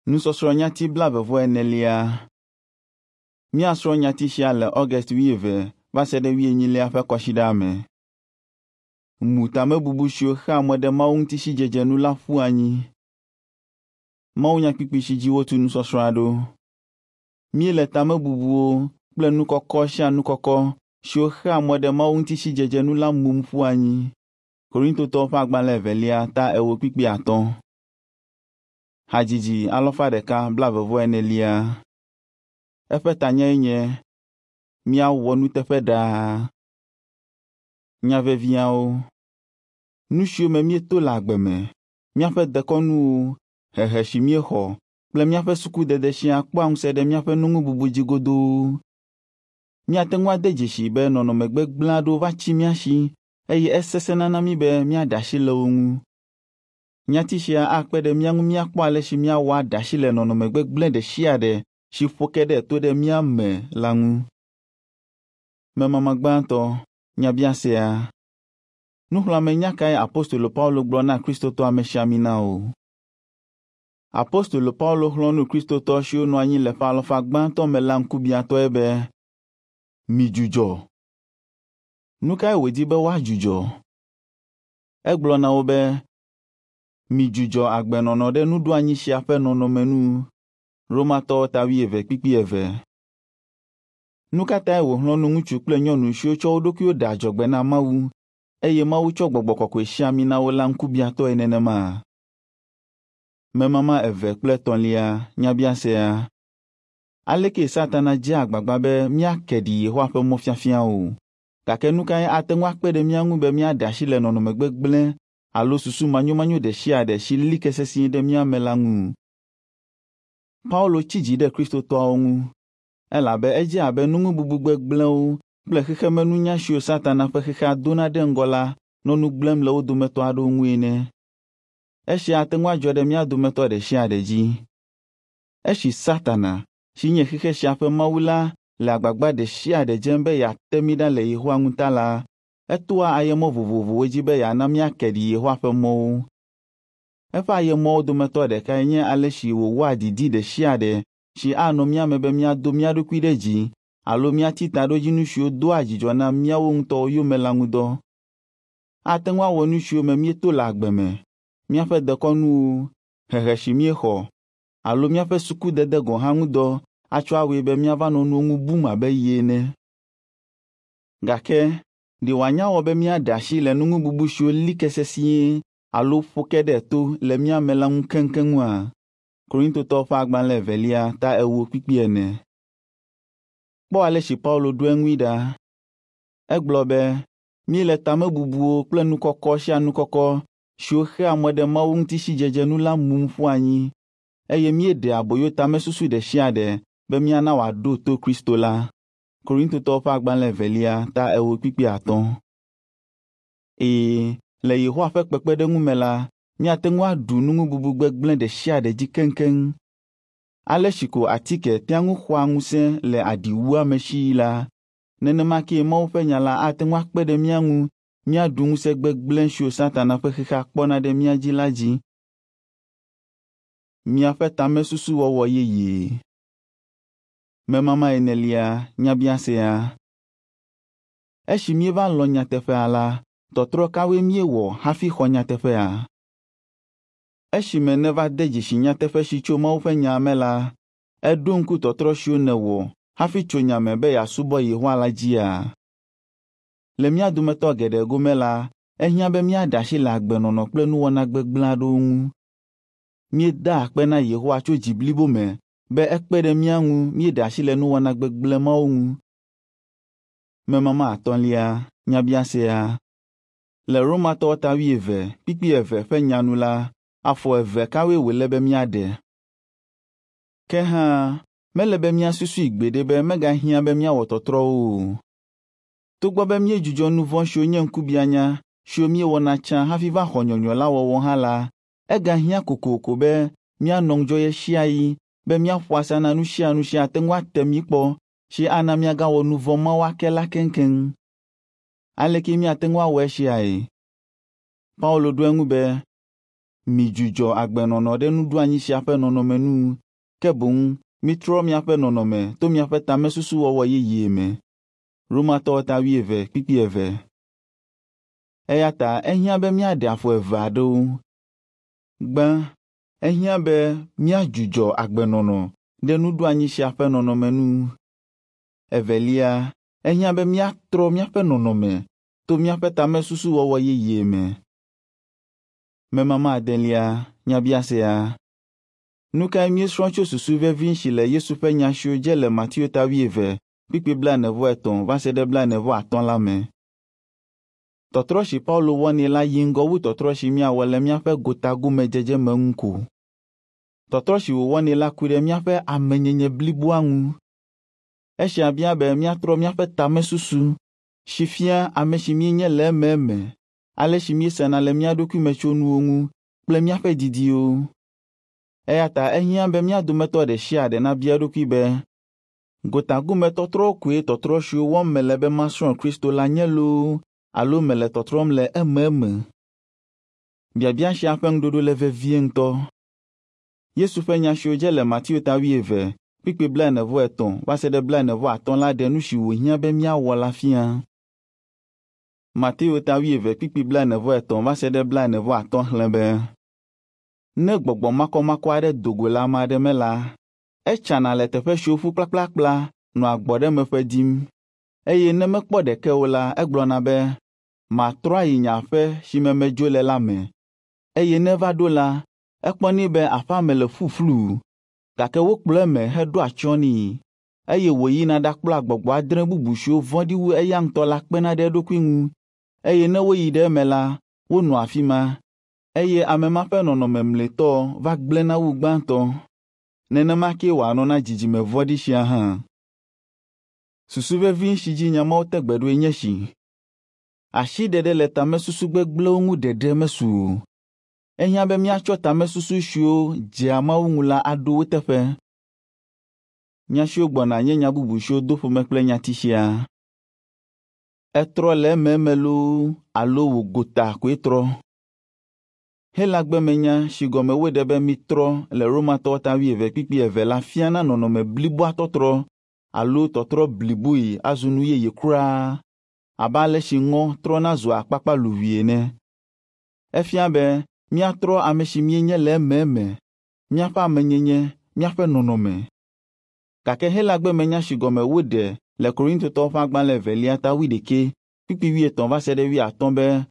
Nusɔsrɔ̃ nyati 44. Míasrɔ̃ nyati sia le August 20 va se ɖe 24 ƒe kɔsiɖa me. Mu tamebubu siwo xea mɔ ɖe Mawu ŋuti sidzedze nu la ƒu anyi. Mawunyakpukpui si dzi wotu nusɔsrɔ̃a ɖo. Míele tamebubuwo kple nu kɔkɔ sia nu kɔkɔ siwo xea mɔ ɖe Mawu ŋuti sidzedze nu la mum ƒu anyi. Korintotɔwo ƒe agbalẽ evelia ta 4 kpukpui 5. Hadzidzi 144. Eƒe tanyae nye Míawɔ nuteƒe ɖaa. Nya veviawo. Nu siwo me míeto le agbe me, míaƒe dekɔnuwo, hehe si míexɔ kple míaƒe sukudede siaa kpɔa ŋusẽ ɖe míaƒe nuŋububu dzi godoo. Míate ŋu ade dzesii be nɔnɔme gbegblẽ aɖewo va tsi mía si eye esesẽna na mí be míaɖe asi le wo ŋu. Nyati sia akpe ɖe mía ŋu míakpɔ ale si míawɔ aɖe asi le nɔnɔme gbegblẽ ɖe sia ɖe si ƒo ke ɖe to ɖe mía me la ŋu. Memama gbãtɔ, nyabiasea. Nuxlɔ̃amenya kae Apostolo Paulo gblɔ na Kristotɔ amesiaminawo? Apostolo Paulo xlɔ̃ nu Kristotɔ siwo nɔ anyi le ƒe alafa gbãtɔ me la ŋkubiãtɔe be, "Midzudzɔ." Nu kae wòdi be woadzudzɔ? Egblɔ na wo be, "Midzudzɔ agbenɔnɔ ɖe nuɖoanyi sia ƒe nɔnɔme nu." Romatɔwo ta 12 kpukpui 2. Nu ka tae wòxlɔ̃ nu ŋutsu kple nyɔnu siwo tsɔ wo ɖokuiwo ɖe adzɔgbe na Mawu eye Mawu tsɔ gbɔgbɔ kɔkɔe si ami na wo la ŋkubiãtɔe nenema? Memama 2 kple 3 nyabiasea. Aleke Satana dzea agbagba be míake ɖi Yehowa ƒe mɔfiafiawo? Gake nu kae ate ŋu akpe ɖe mía ŋu be míaɖe asi le nɔnɔme gbegblẽ alo susu manyomanyo ɖe sia ɖe si li ke sesĩe ɖe mía me la ŋu? Paulo tsi dzi ɖe Kristotɔawo ŋu elabe edze abe nuŋububu gbegblẽwo kple xexemenunya siwo Satana ƒe xexea dona ɖe ŋgɔ la nɔ nu gblẽm le wo dometɔ aɖewo ŋu ene. Esia ate ŋu adzɔ ɖe mía dometɔ ɖe sia ɖe dzi. Esi Satana, si nye xexe sia ƒe mawu la, le agbagba ɖe sia ɖe dzem be yeate mí ɖa le Yehowa ŋu ta la, etoa ayemɔ vovovowo dzi be yeana míake ɖi Yehowa ƒe mɔwo. Eƒe ayemɔwo dometɔ ɖekae nye ale si wòwɔa didi ɖe sia ɖe si anɔ mía me be míado mía ɖokui ɖe dzi alo míati taɖodzinu siwo doa dzidzɔ na míawo ŋutɔwo yome la ŋu dɔ. Ate ŋu awɔ nu siwo me míeto le agbe me, míaƒe dekɔnuwo, hehe si míexɔ alo míaƒe sukudede gɔ̃ hã ŋu dɔ atsɔ awɔe be míava nɔ nuwo ŋu bum abe ye ene. Gake ɖe wòanya wɔ be míaɖe asi le nuŋububu siwo li ke sesĩe alo ƒo ke ɖe to le mía me la ŋu keŋkeŋua? Korintotɔwo ƒe agbalẽ evelia ta 4 kpukpui 4. Kpɔ ale si Paulo ɖo eŋui ɖa. Egblɔ be, míele tamebubuwo kple nu kɔkɔ sia nu kɔkɔ siwo xea mɔ ɖe Mawu ŋuti sidzedze nu la mum ƒu anyi eye míeɖe aboyo tamesusu ɖe sia ɖe be míana wòaɖo to Kristo la. Korintotɔwo ƒe agbalẽ evelia ta 4 kpukpui 5. Ee, le Yehowa ƒe kpekpeɖeŋu me la, míate ŋu aɖu nuŋububu gbegblẽ ɖe sia ɖe dzi keŋkeŋ. Ale si ko atike tea ŋu xɔa ŋusẽ le aɖiwuame si la, nenema kee Mawu ƒe nya la ate ŋu akpe ɖe mía ŋu míaɖu ŋusẽ gbegblẽ siwo Satana ƒe xexea kpɔna ɖe mía dzi la dzi. Miaƒe tamesusuwɔwɔ yeye. Memama 4 nyabiasea. Esi míeva lɔ̃ nyateƒea la, tɔtrɔ kawoe míewɔ hafi xɔ nyateƒea? Esime nèva de dzesi nyateƒe si tso Mawu ƒe nya me la, èɖo ŋku tɔtrɔ siwo nèwɔ hafi tso nya me be yeasubɔ Yehowa la dzia? Le mía dometɔ geɖe gome la, ehiã be míaɖe asi le agbenɔnɔ kple nuwɔna gbegblẽ aɖewo ŋu. Míedaa akpe na Yehowa tso dzi blibo me be ekpe ɖe mía ŋu míeɖe asi le nuwɔna gbegblẽ mawo ŋu. Memama 3 nyabiasea. Le Romatɔwo ta 20 kpukpui 2 ƒe nya nu la, afɔ eve kawoe wòle be míaɖe? Ke hã, mele be míasusui gbeɖe be megahiã be míawɔ tɔtrɔwo o. Togbɔ be míedzudzɔ nu vɔ̃ siwo nye ŋkubiãnya siwo míewɔna tsã hafi va xɔ nyɔnyrɔ la wɔwɔ hã la, egahiã kokoko be míanɔ ŋudzɔ ɣesiaɣi be míaƒo asa na nu sia nu si ate ŋu ate mí kpɔ si ana míagawɔ nu vɔ̃ mawo ake la keŋkeŋ. Aleke míate ŋu awɔ esiae? Paulo ɖo eŋu be, Midzudzɔ agbenɔnɔ ɖe nuɖoanyi sia ƒe nɔnɔme nu, ke boŋ mitrɔ miaƒe nɔnɔme to miaƒe tamesusuwɔwɔ yeye me. Romatɔwo ta 12:2. Eya ta ehiã be míaɖe afɔ eve aɖewo. Gbã, ehiã be míadzudzɔ agbenɔnɔ ɖe nuɖoanyi sia ƒe nɔnɔme nu. Evelia, ehiã be míatrɔ míaƒe nɔnɔme to míaƒe tamesusuwɔwɔ yeye me. Memama adelia, nyabiasea. Nu kae míesrɔ̃ tso susu vevi si le Yesu ƒe nya siwo dze le Mateo ta 22:43 va se ɖe 45 la me? Tɔtrɔ si Paulo wɔnɛ la yi ŋgɔ wu tɔtrɔ si míawɔ le míaƒe gotagome dzedzeme ŋu ko. Tɔtrɔ si wòwɔnɛ la ku ɖe míaƒe amenyenye bliboa ŋu. Esia bia be míatrɔ míaƒe tamesusu si fia ame si míenye le ememe, ale si míesena le mía ɖokui me tso nuwo ŋu kple míaƒe didiwo. Eya ta ehiã be mía dometɔ ɖe sia ɖe nabia eɖokui be, gotagometɔtrɔwo koe tɔtrɔ siwo wɔm mele be masrɔ̃ Kristo la nye loo alo mele tɔtrɔm le ememe? Biabia sia ƒe ŋuɖoɖo le vevie ŋutɔ. Yesu ƒe nya siwo dze le Mateo ta 22:43 va se ɖe 45 la ɖe nu si wòhiã be míawɔ la fia. Mateo ta 22:43 va se ɖe 45 xlẽ be, ne gbɔgbɔ makɔmakɔ aɖe do go le ame aɖe me la, etsana le teƒe siwo ƒu kplakplakpla nɔa gbɔɖemeƒe dim eye ne mekpɔ ɖeke o la, egblɔna be, matrɔ ayi nye aƒe si me medzo le la me. Eye ne eva ɖo la, ekpɔnɛ be aƒea me le ƒuƒlu, gake wokplɔ eme heɖo atsyɔ̃ nɛ, eye wòyina ɖakplɔa gbɔgbɔ adre bubu siwo vɔ̃ɖi wu eya ŋutɔ la kpena ɖe eɖokui ŋu, eye ne woyi ɖe eme la, wonɔa afi ma, eye ame ma ƒe nɔnɔme mlɔetɔ va gblẽna wu gbãtɔ. Nenema kee wòanɔ na dzidzime vɔ̃ɖi sia hã. Susu vevi si dzi nya mawo te gbe ɖoe nye esi. Asiɖeɖe le tamesusu gbegblẽwo ŋu ɖeɖe mesu o. Ehiã be míatsɔ tamesusu siwo dzea Mawu ŋu la aɖo wo teƒe. Nya siwo gbɔna nye nya bubu siwo do ƒome kple nyati sia. Etrɔ le ememe loo alo wò gota koe trɔ. Helagbe me nya si gɔme woɖe be mitrɔ le Romatɔwo ta 22:2 la fiana nɔnɔme bliboa tɔtrɔ alo tɔtrɔ bliboe azu nu yeye kura, abe ale si ŋɔ trɔna zua akpakpaluʋui ene. Efia be míatrɔ ame si míenye le ememe, míaƒe amenyenye, míaƒe nɔnɔme. Gake Helagbe me nya si gɔme woɖe le Korintotɔwo ƒe agbalẽ evelia ta 11:80 va se ɖe 80 be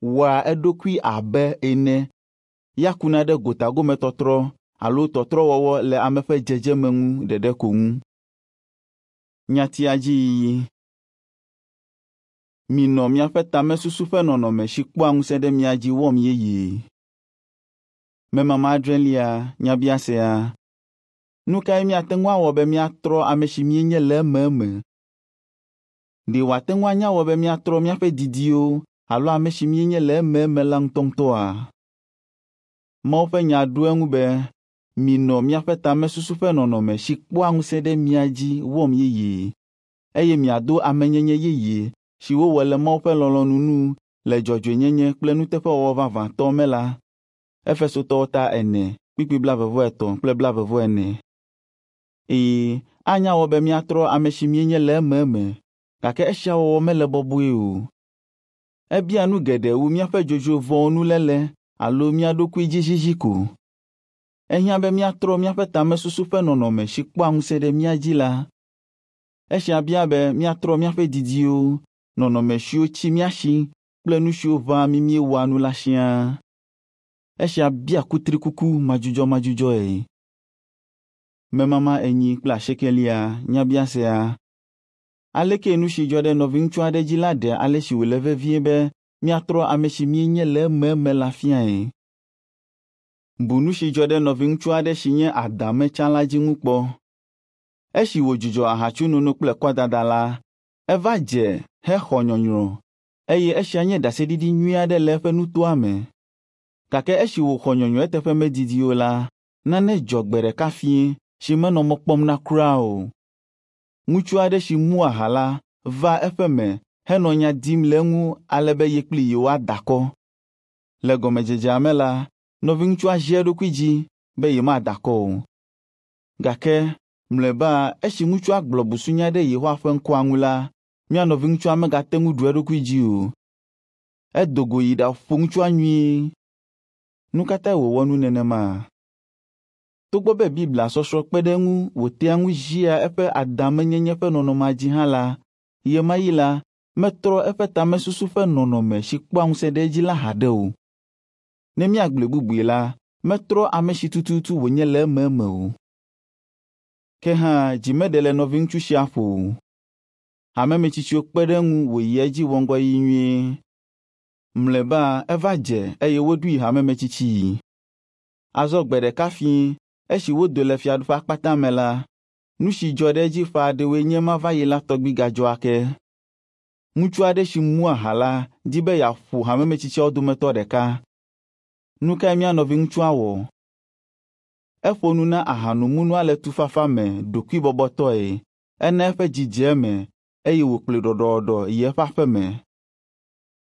wɔa eɖokui abe ene ya kuna ɖe gotagometɔtrɔ alo tɔtrɔwɔwɔ le ame ƒe dzedzeme ŋu ɖeɖe ko ŋu. Nyatia dzi yiyi. Minɔ miaƒe tamesusu ƒe nɔnɔme si kpɔa ŋusẽ ɖe mia dzi wɔm yeyee. Memama adrelia, nyabiasea. Nu kae míate ŋu awɔ be míatrɔ ame si míenye le ememe? Ɖe wòate ŋu anya wɔ be míatrɔ míaƒe didiwo alo ame si míenye le ememe la ŋutɔŋutɔa? Mawu ƒe nya ɖo eŋu be, minɔ miaƒe tamesusu ƒe nɔnɔme si kpɔa ŋusẽ ɖe mia dzi wɔm yeyee, eye miado amenyenye yeye si wowɔ le Mawu ƒe lɔlɔ̃nu nu le dzɔdzɔenyenye kple nuteƒewɔwɔ vavãtɔ me la. Efesotɔwo ta 4:23 kple 44. Ee, anya wɔ be míatrɔ ame si míenye le ememe, gake esia wɔwɔ mele bɔbɔe o. Ebia nu geɖe wu míaƒe dzodzro vɔ̃wo nuléle alo mía ɖokui dzi zizi ko. Ehiã be míatrɔ míaƒe tamesusu ƒe nɔnɔme si kpɔa ŋusẽ ɖe mía dzi la. Esia bia be míatrɔ míaƒe didiwo, nɔnɔme siwo tsi mía si kple nu siwo ʋãa mí míewɔa nu la siaa. Esia bia kutrikuku madzudzɔmadzudzɔe. Memama 48, nyabiasea. Aleke nu si dzɔ ɖe nɔviŋutsu aɖe dzi la ɖe ale si wòle vevie be míatrɔ ame si míenye le ememe la fiae? Bu nu si dzɔ ɖe nɔviŋutsu aɖe si nye adame tsã la dzi ŋu kpɔ. Esi wòdzudzɔ ahatsunono kple kɔdada la, eva dze hexɔ nyɔnyrɔ eye esia nye ɖaseɖiɖi nyui aɖe le eƒe nutoa me. Gake esi wòxɔ nyɔnyrɔ eteƒe medidi o la, nane dzɔ gbe ɖeka fiẽ si menɔ mɔ kpɔm na kura o. Ŋutsu aɖe si mu aha la va eƒe me henɔ nya dim le eŋu ale be ye kpli yewoada akɔ. Le gɔmedzedzea me la, nɔviŋutsua zi eɖokui dzi be yemada akɔ o. Gake mlɔeba esi ŋutsua gblɔ busunya ɖe Yehowa ƒe ŋkɔa ŋu la, mía nɔviŋutsua megate ŋu ɖu eɖokui dzi o. Edo go yi ɖaƒo ŋutsua nyuie. Nu ka tae wòwɔ nu nenema? Togbɔ be Biblia sɔsrɔ̃ kpe ɖe eŋu wòtea ŋu zia eƒe adamenyenye ƒe nɔnɔmea dzi hã la, ɣemaɣi la, metrɔ eƒe tamesusu ƒe nɔnɔme si kpɔa ŋusẽ ɖe edzi la haɖe o. Ne míagblɔe bubui la, metrɔ ame si tututu wònye le ememe o. Ke hã dzi meɖe le nɔviŋutsu sia ƒo o. Hamemetsitsiwo kpe ɖe eŋu wòyi edzi wɔ ŋgɔyiyi nyuie. Mlɔeba eva dze eye woɖoe hamemetsitsii. Azɔ gbe ɖeka fiẽ esi wodo le Fiaɖuƒe Akpata me la, nu si dzɔ ɖe edzi ƒe aɖewoe nye ema va yi la tɔgbi gadzɔ ake. Ŋutsu aɖe si mu aha la di be yeaƒo hamemetsitsiawo dometɔ ɖeka. Nu kae mía nɔviŋutsua wɔ? Eƒo nu na ahanomunɔa le tufafa me ɖokuibɔbɔtɔe, ena eƒe dzi dze eme eye wòkplɔe ɖɔɖɔɖɔ yi eƒe aƒe me.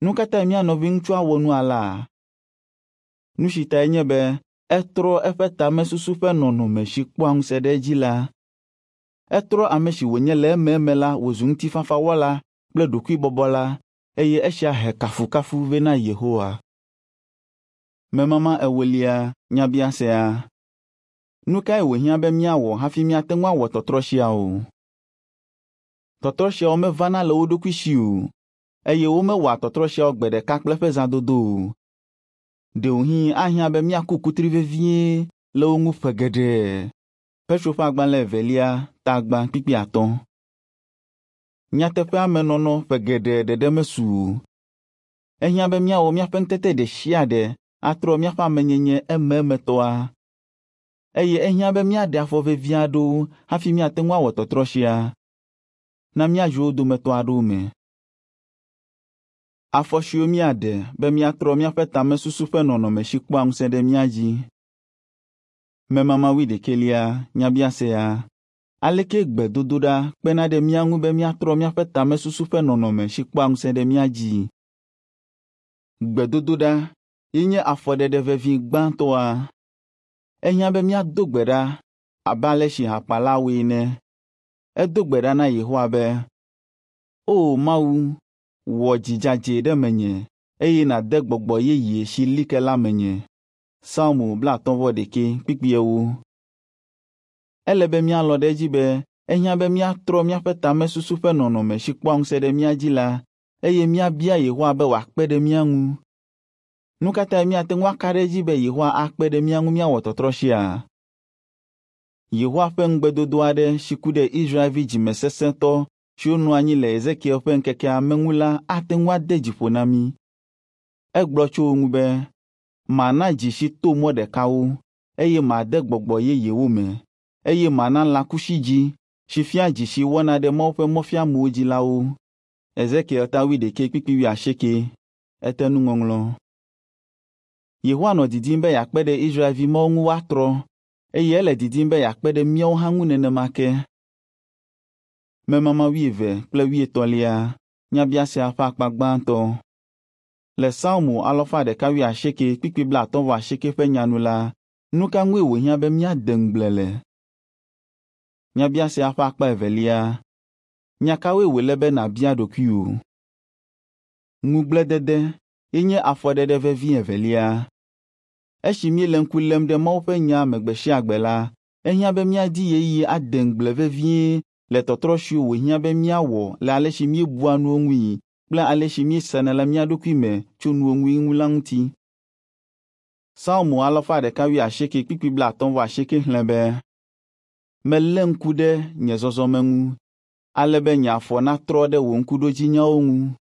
Nu ka tae mía nɔviŋutsua wɔ nu alea? Nu si tae nye be etrɔ eƒe tamesusu ƒe nɔnɔme si kpɔa ŋusẽ ɖe edzi la. Etrɔ ame si wònye le ememe la wòzu ŋutifafawɔla kple ɖokuibɔbɔla eye esia he kafukafu vɛ na Yehowa. Memama ewolia nyabiasea. Nu kae wòhiã be míawɔ hafi míate ŋu awɔ tɔtrɔ siawo? Tɔtrɔ siawo mevana le wo ɖokui si o, eye womewɔa tɔtrɔ siawo gbe ɖeka kple eƒe zãdodo o. Ɖewohĩ ahiã be míaku kutri vevie le wo ŋu ƒe geɖe. Petro ƒe agbalẽ evelia ta gbã kpikpi atɔ̃. Nyateƒea me nɔnɔ ƒe geɖe ɖeɖe mesu o. Ehiã be míawɔ míaƒe ŋutete ɖe sia ɖe atrɔ míaƒe amenyenye emeemetɔa. Eye ehiã be míaɖe afɔ vevi aɖewo hafi míate ŋu awɔ tɔtrɔ sia. Na míadzro wo dometɔ aɖewo me. Afɔ siwo míaɖe be míatrɔ míaƒe tamesusu ƒe nɔnɔme si kpɔa ŋusẽ ɖe mía dzi. Memama wuiɖekɛlia nyabiasea. Aleke gbedodoɖa kpena ɖe mía ŋu be míatrɔ míaƒe tamesusu ƒe nɔnɔme si kpɔa ŋusẽ ɖe mía dzi? Gbedodoɖa ye nye afɔɖeɖe vevi gbãtɔa. Ehiã be míado gbe ɖa abe ale si hakpala wɔe ene. Edo gbe ɖa na Yehowa be, “O Mawu, wɔ dzi dzadzɛ ɖe menye eye nàde gbɔgbɔ yeye si li ke la menye.” Psalmo 51 kpukpui ewo. Ele be míalɔ̃ ɖe edzi be ehiã be míatrɔ míaƒe tamesusu ƒe nɔnɔme si kpɔa ŋusẽ ɖe mía dzi la eye míabia Yehowa be wòakpe ɖe mía ŋu. Nu ka tae míate ŋu aka ɖe edzi be Yehowa akpe ɖe mía ŋu míawɔ tɔtrɔ sia? Yehowa ƒe ŋugbedodo aɖe si ku ɖe Israelvi dzimesesẽtɔ siwo nɔ anyi le Ezekiel ƒe ŋkekea me ŋu la ate ŋu ade dzi ƒo na mí. Egblɔ tso wo ŋu be, “Mana dzi si to mɔ ɖeka wo, eye made gbɔgbɔ yeye wo me, eye mana lãkusi dzi si fia dzi si wɔna ɖe Mawu ƒe mɔfiamewo dzi la wo.” Ezekiel ta wuiɖekɛ kpukpui wuiasieke. Ete nuŋɔŋlɔ. Yehowa nɔ didim be yeakpe ɖe Israelvi mawo ŋu woatrɔ, eye ele didim be yeakpe ɖe míawo hã ŋu nenema ke. Memama wuieve kple wuietɔ̃lia nyabiasea ƒe akpa gbãtɔ. Le Psalmo alafa ɖeka wuiasieke kpukpui blaatɔ̃ vɔ asieke ƒe nya nu la, nu ka ŋue wòhiã be míade ŋugble le? Nyabiasea ƒe akpa evelia. Nya kawoe wòle be nàbia ɖokuiwò? Ŋugbledede ye nye afɔɖeɖe vevi evelia. Esi míele ŋku lém ɖe Mawu ƒe nya me gbe sia gbe la, ehiã be míadi ɣeyiɣi ade ŋugble vevie le tɔtrɔ siwo wòhiã be míawɔ le ale si míebua nuwo ŋui kple ale si míesena le mía ɖokui me tso nuwo ŋui ŋu la ŋuti. Psalmo alafa ɖeka wuiasieke kpukpui blaatɔ̃ vɔ asieke xlẽ be, “Melé ŋku ɖe nye zɔzɔme ŋu, ale be nye afɔ natrɔ ɖe wò ŋkuɖodzinyawo ŋu.”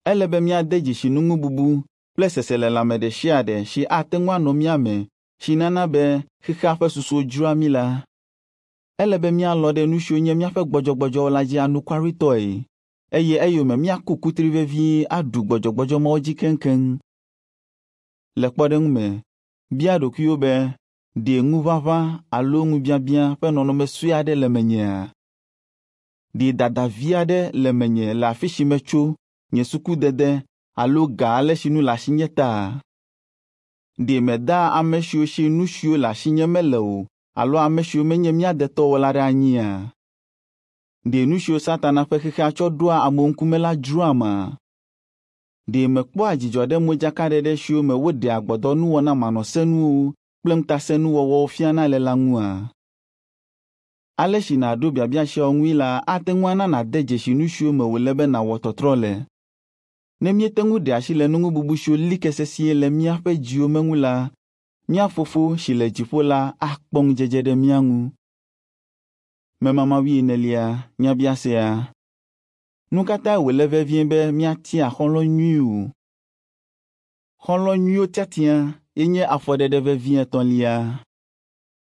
Ele be míade dzesi nuŋububu kple seselelãme ɖe sia ɖe si ate ŋu anɔ mía me si nana be xexea ƒe susuwo dzroa mí la. Ele be míalɔ̃ ɖe nu siwo nye míaƒe gbɔdzɔgbɔdzɔwo la dzi anukwaretɔe eye eyome míaku kutri vevie aɖu gbɔdzɔgbɔdzɔ mawo dzi keŋkeŋ. Le kpɔɖeŋu me, bia ɖokuiwò be, ɖe ŋuʋaʋã alo ŋubiabiã ƒe nɔnɔme sue aɖe le menyea? Ɖe dada vi aɖe le menye le afi si metso, nye sukudede alo ga ale si nu le asinye ta? Ɖe medaa ame siwo si nu siwo le asinye mele o alo ame siwo menye mía detɔwo la ɖe anyia? Ɖe nu siwo Satana ƒe xexea tsɔ ɖoa amewo ŋkume la dzroama? Ɖe mekpɔa dzidzɔ ɖe modzakaɖeɖe siwo me woɖea gbɔdɔnuwɔna manɔsenuwo kple ŋutasẽnuwɔwɔwo fiana le la ŋua? Ale si nàɖo biabia siawo ŋui la ate ŋu ana nàde dzesi nu siwo me wòle be nàwɔ tɔtrɔ le. Ne míete ŋu ɖe asi le nuŋububu siwo li ke sesĩe le míaƒe dziwo me ŋu la, mía Fofo si le dziƒo la akpɔ ŋudzedze ɖe mía ŋu. Memama wuienelia, nyabiasea. Nu ka tae wòle vevie be míatia xɔlɔ̃ nyuiwo? Xɔlɔ̃ nyuiwo tiatia ye nye afɔɖeɖe vevi etɔ̃lia.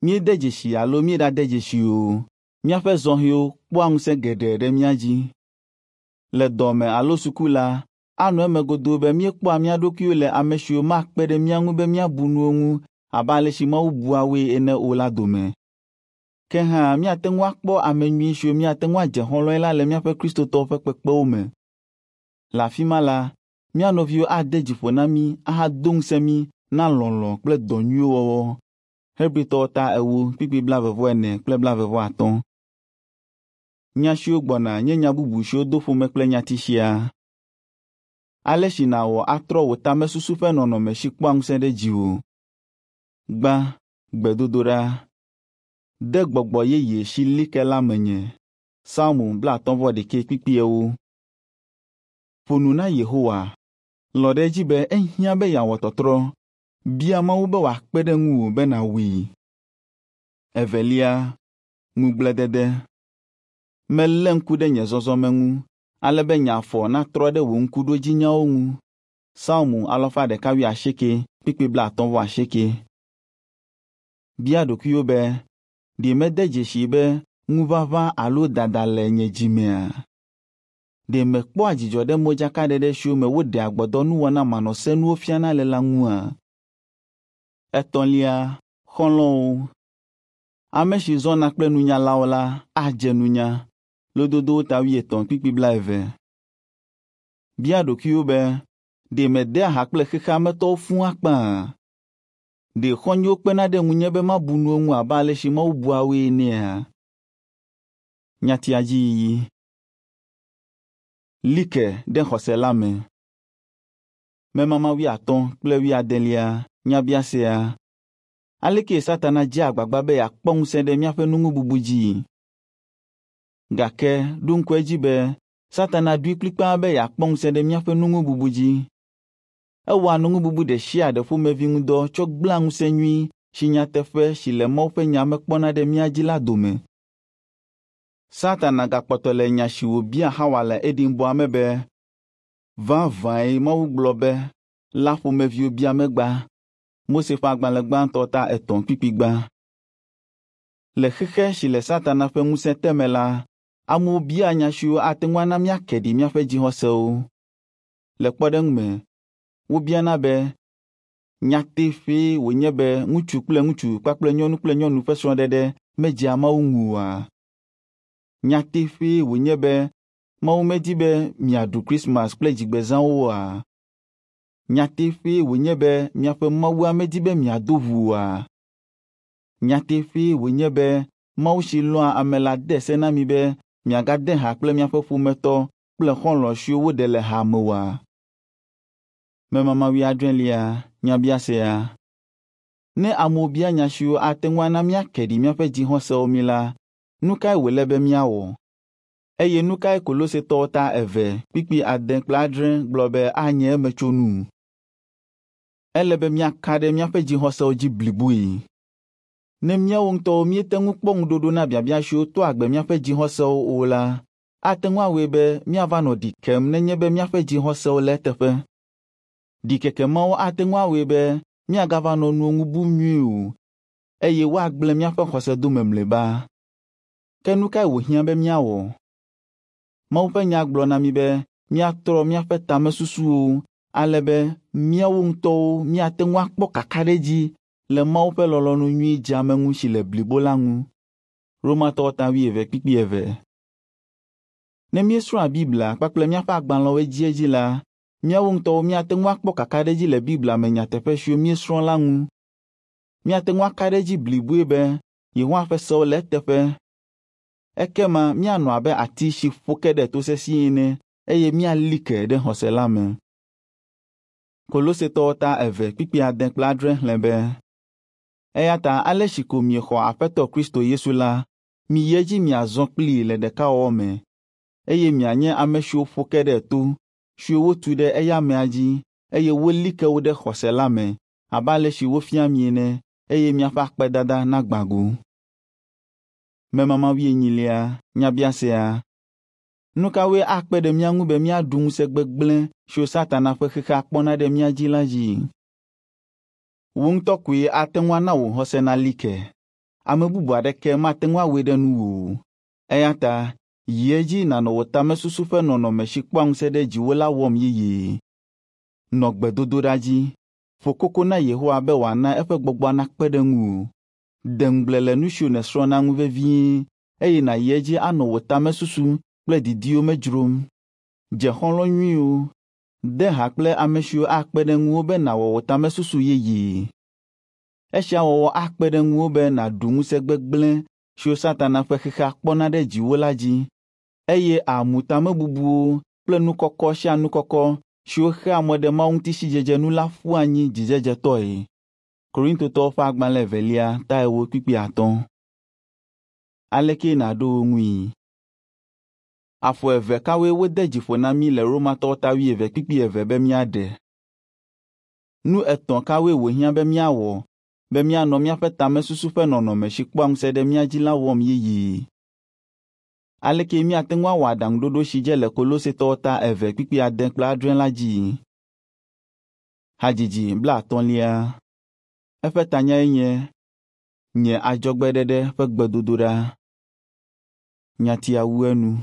Míede dzesi alo míeɖade dzesi o, míaƒe zɔhɛwo kpɔa ŋusẽ geɖe ɖe mía dzi. Le dɔme alo suku la, anɔ eme godoo be míekpɔa mía ɖokuiwo le ame siwo makpe ɖe mía ŋu be míabu nuwo ŋu abe ale si Mawu bua woe ene o la dome. Ke hã míate ŋu akpɔ ame nyui siwo míate ŋu adze xɔlɔ̃e la le míaƒe Kristotɔwo ƒe kpekpewo me. Le afi ma la, mía nɔviwo ade dzi ƒo na mí ahado ŋusẽ mí na lɔlɔ̃ kple dɔ nyuiwo wɔwɔ. Hebritɔwo ta 4 kpukpui 44 kple 45. Nya siwo gbɔna nye nya bubu siwo do ƒome kple nyati sia. Ale si nàwɔ atrɔ wò tamesusu ƒe nɔnɔme si kpɔa ŋusẽ ɖe dziwò. Gbã, gbedodoɖa. De gbɔgbɔ yeye si li ke la menye. Psalmo 51 kpukpui 4. Ƒo nu na Yehowa. Lɔ̃ ɖe edzi be ehiã be yeawɔ tɔtrɔ. Bia Mawu be wòakpe ɖe ŋuwò be nàwɔe. Evelia, ŋugbledede. Melé ŋku ɖe nye zɔzɔme ŋu, ale be nye afɔ natrɔ ɖe wò ŋkuɖodzinyawo ŋu. Psalmo 118 kpukpui 58. Bia ɖokuiwò be, ɖe mede dzesii be ŋuʋaʋã alo dada le nye dzi mea? Ɖe mekpɔa dzidzɔ ɖe modzakaɖeɖe siwo me woɖea gbɔdɔnuwɔna manɔsenuwo fiana le la ŋua? Etɔ̃lia, xɔlɔ̃wo. Ame si zɔna kple nunyalawo la adze nunya. Lododowo ta 80 kpukpui 20. Bia ɖokuiwò be, ɖe medea ha kple xexea me tɔwo fũu akpaa? Ɖe xɔ̃nyewo kpena ɖe ŋunye be mabu nuwo ŋu abe ale si Mawu bua woe enea? Nyatia dzi yiyi. Li ke ɖe xɔse la me. Memama 80 kple 80 nyabiasea. Aleke Satana dzea agbagba be yeakpɔ ŋusẽ ɖe míaƒe nuŋububu dzii? Gake ɖo ŋku edzi be Satana ɖoe kplikpaa be yeakpɔ ŋusẽ ɖe míaƒe nuŋububu dzi. Ewɔa nuŋububu ɖe sia ɖe ƒomevi ŋudɔ tsɔ gblẽa ŋusẽ nyui si nyateƒe si le Mawu ƒe nya me kpɔna ɖe mía dzi la dome. Satana gakpɔtɔ le nya si wòbia Xawa le Edenbɔa me be, “Vavãe Mawu gblɔ be” la ƒomeviwo bia megba. Mose ƒe agbalẽ gbãtɔ ta 3 kpukpui 1. Le xexe si le Satana ƒe ŋusẽ te me la, amewo biaa nya siwo ate ŋu ana míake ɖi míaƒe dzixɔsewo. Le kpɔɖeŋu me, wobiana be, nyateƒee wònye be ŋutsu kple ŋutsu kpakple nyɔnu kple nyɔnu ƒe srɔ̃ɖeɖe medzea Mawu ŋu oa? Nyateƒee wònye be Mawu medi be miaɖu Krismas kple dzigbezãwo oa? Nyateƒee wònye be miaƒe Mawua medi be miado ʋu oa? Nyateƒee wònye be Mawu si lɔ̃a ame la de se na mi be miagade ha kple miaƒe ƒometɔ kple xɔlɔ̃ siwo woɖe le ha me oa? Memama 70 nyabiasea. Ne amewo bia nya siwo ate ŋu ana míake ɖi míaƒe dzixɔsewo mí la, nu kae wòle be míawɔ? Eye nu kae Kolosetɔwo ta 2 kpukpui 6 kple 7 gblɔ be anye emetsonu? Ele be míaka ɖe míaƒe dzixɔsewo dzi bliboe. Ne míawo ŋutɔwo míete ŋu kpɔ ŋuɖoɖo na biabia siwo toa agbe míaƒe dzixɔsewo o la, ate ŋu awɔe be míava nɔ ɖi kem nenye be míaƒe dzixɔsewo le eteƒe. Ɖikeke mawo ate ŋu awɔe be míagava nɔ nuwo ŋu bum nyuie o, eye woagblẽ míaƒe xɔse dome mlɔeba. Ke nu kae wòhiã be míawɔ? Mawu ƒe nya gblɔ na mí be míatrɔ míaƒe tamesusuwo ale be míawo ŋutɔwo míate ŋu akpɔ kakaɖedzi le Mawu ƒe lɔlɔ̃nu nyui dzeameŋu si le blibo la ŋu. Romatɔwo ta 12 kpukpui 2. Ne míesrɔ̃a Biblia kpakple míaƒe agbalẽwo edziedzi la, Míawo ŋutɔwo míate ŋu akpɔ kakaɖedzi le Biblia me nyateƒe siwo míesrɔ̃ la ŋu. Míate ŋu aka ɖe edzi bliboe be Yehowa ƒe sewo le eteƒe. Ekema míanɔ abe ati si ƒo ke ɖe to sesĩe ene eye míali ke ɖe xɔse la me. Kolosetɔwo ta 2 kpukpui 6 kple 7 xlẽ be, eya ta ale si ko miexɔ Aƒetɔ Kristo Yesu la, miyi edzi miazɔ kplii le ɖekawɔwɔ me, eye mianye ame siwo ƒo ke ɖe to, siwo wotu ɖe eya amea dzi, eye woli ke wo ɖe xɔse la me, abe ale si wofia mi ene, eye miaƒe akpedada nagbã go. Memama 24 nyabiasea. Nu kawoe akpe ɖe mía ŋu be míaɖu ŋusẽ gbegblẽ siwo Satana ƒe xexea kpɔna ɖe mía dzi la dzi? Wò ŋutɔ koe ate ŋu ana wò xɔse nali ke. Ame bubu aɖeke mate ŋu awɔe ɖe nuwò o. Eya ta yi edzi nànɔ wò tamesusu ƒe nɔnɔme si kpɔa ŋusẽ ɖe dziwò la wɔm yeyee. Nɔ gbedodoɖa dzi. Ƒo koko na Yehowa be wòana eƒe gbɔgbɔa nakpe ɖe ŋuwò. De ŋugble le nu siwo nèsrɔ̃na ŋu vevie eye nàyi edzi anɔ wò tamesusu kple didiwo me dzrom. Dze xɔlɔ̃ nyuiwo. De ha kple ame siwo akpe ɖe ŋuwò be nàwɔ wò tamesusu yeyee. Esia wɔwɔ akpe ɖe ŋuwò be nàɖu ŋusẽ gbegblẽ siwo Satana ƒe xexea kpɔna ɖe dziwò la dzi, eye àmu tamebubuwo kple nu kɔkɔ sia nu kɔkɔ siwo xea mɔ ɖe Mawu ŋuti sidzedze nu la ƒu anyi dzidzedzetɔe. Korintotɔwo ƒe agbalẽ 2 ta 4 kpukpui 5. Aleke nàɖo wo ŋui? Afɔ eve kawoe wode dzi ƒo na mí le Romatɔwo ta 11 kpukpui 2 be míaɖe? Nu etɔ̃ kawoe wòhiã be míawɔ be míanɔ míaƒe tamesusu ƒe nɔnɔme si kpɔa ŋusẽ ɖe mía dzi la wɔm yeyee? Aleke míate ŋu awɔ aɖaŋuɖoɖo si dze le Kolosetɔwo ta 2 kpukpui 6 kple 7 la dzi? Hadzidzi 50. Eƒe tanyae nye Nye adzɔgbeɖeɖe ƒe gbedodoɖa. Nyatia wu enu.